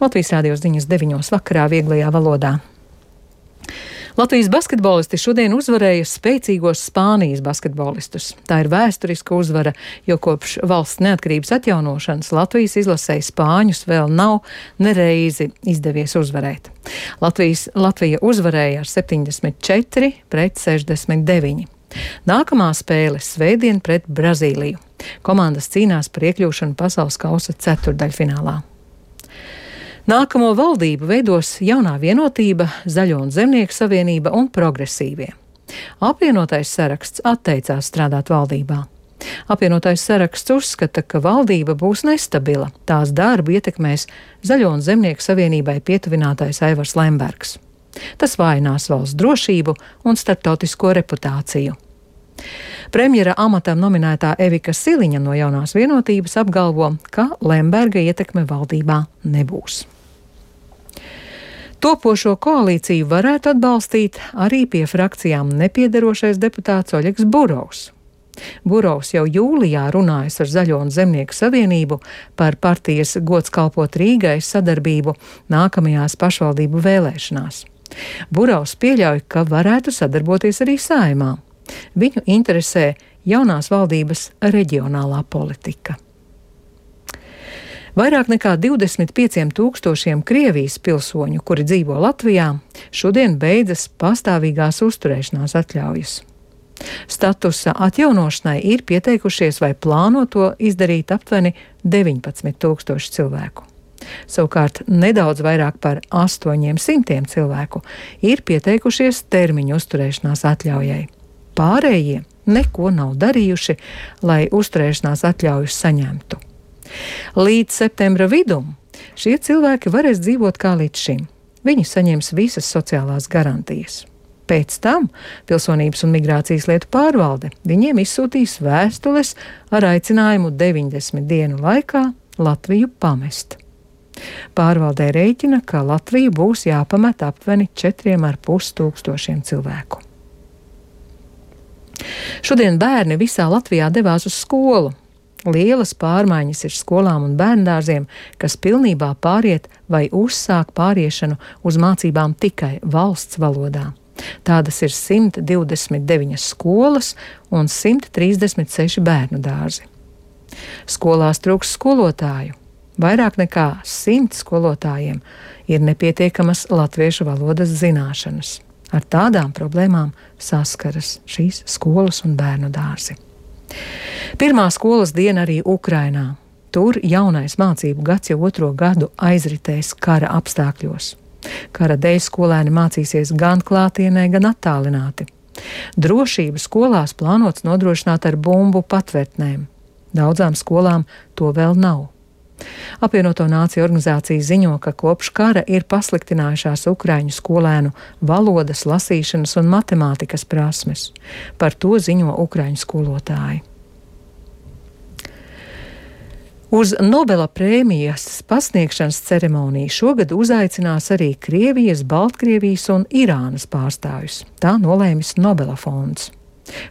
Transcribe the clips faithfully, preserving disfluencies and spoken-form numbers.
Latvijas Rādio ziņas deviņos vakarā vieglajā valodā. Latvijas basketbolisti šodien uzvarēja spēcīgos Spānijas basketbolistus. Tā ir vēsturiska uzvara, jo kopš valsts neatkarības atjaunošanas Latvijas izlasēji Spāņus vēl nav nereizi izdevies uzvarēt. Latvijas, Latvija uzvarēja ar septiņdesmit četri pret sešdesmit deviņi. Nākamā spēle svētdien pret Brazīliju. Komandas cīnās par iekļūšanu pasaules kausa ceturdaļfinālā. Nākamo valdību veidos jaunā vienotība, Zaļo un Zemnieku savienība un progresīvie. Apvienotais saraksts atteicās strādāt valdībā. Apvienotais saraksts uzskata, ka valdība būs nestabila. Tās darbu ietekmēs Zaļo un Zemnieku savienībai pietuvinātais Aivars Lembergs. Tas vājinās valsts drošību un starptautisko reputāciju. Premjera amatam nominētā Evika Siliņa no jaunās vienotības apgalvo, ka Lemberga ietekme valdībā nebūs. Topošo koalīciju varētu atbalstīt arī pie frakcijām nepiederošais deputāts Oļegs Burovs. Burovs jau jūlijā runājas ar Zaļo un Zemnieku savienību par partijas Gods kalpot Rīgai sadarbību nākamajās pašvaldību vēlēšanās. Burovs pieļauj, ka varētu sadarboties arī Saeimā. Viņu interesē jaunās valdības reģionālā politika. Vairāk nekā divdesmit pieciem tūkstošiem Krievijas pilsoņu, kuri dzīvo Latvijā, šodien beidzas pastāvīgās uzturēšanās atļaujas. Statusa atjaunošanai ir pieteikušies vai plāno to izdarīt aptuveni deviņpadsmit tūkstoši cilvēku. Savukārt nedaudz vairāk par astoņiem simtiem cilvēku ir pieteikušies termiņu uzturēšanās atļaujai. Pārējie neko nav darījuši, lai uzturēšanās atļaujas saņemtu. Līdz septembra vidum šie cilvēki varēs dzīvot kā līdz šim. Viņi saņems visas sociālās garantijas. Pēc tam Pilsonības un migrācijas lietu pārvalde viņiem izsūtīs vēstules ar aicinājumu deviņdesmit dienu laikā Latviju pamest. Pārvaldē rēķina, ka Latviju būs jāpamet aptuveni četriem ar pus tūkstošiem cilvēku. Šodien bērni visā Latvijā devās uz skolu. Lielas pārmaiņas ir skolām un bērndārziem, kas pilnībā pāriet vai uzsāk pāriešanu uz mācībām tikai valsts valodā. Tādas ir simt divdesmit deviņas skolas un simt trīsdesmit seši bērnu dārzi. Skolās trūks skolotāju. Vairāk nekā simt skolotājiem ir nepietiekamas latviešu valodas zināšanas. Ar tādām problēmām saskaras šīs skolas un bērnu dārzi. Pirmā skolas diena arī Ukrainā. Tur jaunais mācību gads jau otro gadu aizritēs kara apstākļos. Kara dēļ skolēni mācīsies gan klātienē, gan attālināti. Drošību skolās plānots nodrošināt ar bumbu patvērtnēm. Daudzām skolām to vēl nav. Apvienoto Nāciju organizācija ziņo, ka kopš kara ir pasliktinājušās ukraiņu skolēnu valodas, lasīšanas un matemātikas prasmes. Par to ziņo ukraiņu skolotāji. Uz Nobela prēmijas pasniegšanas ceremoniju šogad uzaicinās arī Krievijas, Baltkrievijas un Irānas pārstāvjus. Tā nolēmis Nobela fonds.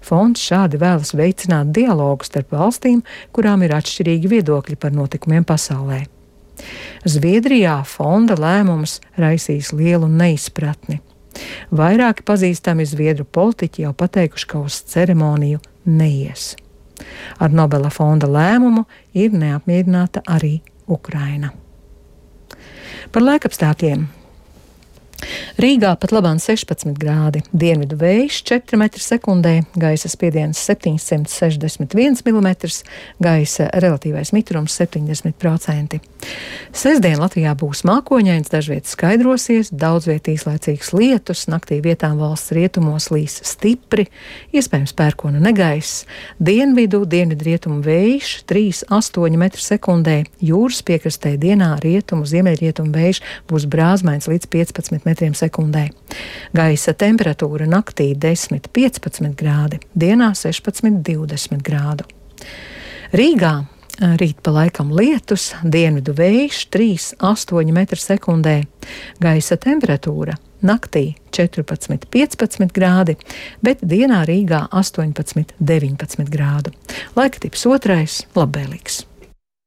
Fonds šādi vēlas veicināt dialogu starp valstīm, kurām ir atšķirīgi viedokļi par notikumiem pasaulē. Zviedrijā fonda lēmums raisīs lielu neizpratni. Vairāki pazīstami zviedru politiķi jau pateikuši, ka uz ceremoniju neies. Ar Nobela fonda lēmumu ir neapmierināta arī Ukraina. Par laikapstākļiem. Rīgā pat labāk sešpadsmit grādi, dienvidu vējš četri metri sekundē, gaisa spiediens septiņsimt sešdesmit viens milimetrs, gaisa relatīvais mitrums septiņdesmit procenti. Sestdien Latvijā būs mākoņains, dažviet skaidrosies, daudzviet īslaicīgs lietus, naktī vietām valsts rietumos līs stipri, iespējams pērkona negaiss, dienvidu, dienvidrietumu vējš trīs astoņi metri sekundē, jūras piekrastē dienā rietumu, ziemeļrietumu vējš būs brāzmains līdz piecpadsmit metriem sekundē. Gaisa temperatūra naktī desmit piecpadsmit grādi, dienā sešpadsmit divdesmit grādu. Rīgā rīt pa laikam lietus, dienvidu vējš trīs astoņi metri sekundē, gaisa temperatūra naktī četrpadsmit piecpadsmit grādi, bet dienā Rīgā astoņpadsmit deviņpadsmit grādu. Laika tips otrais - labvēlīgs.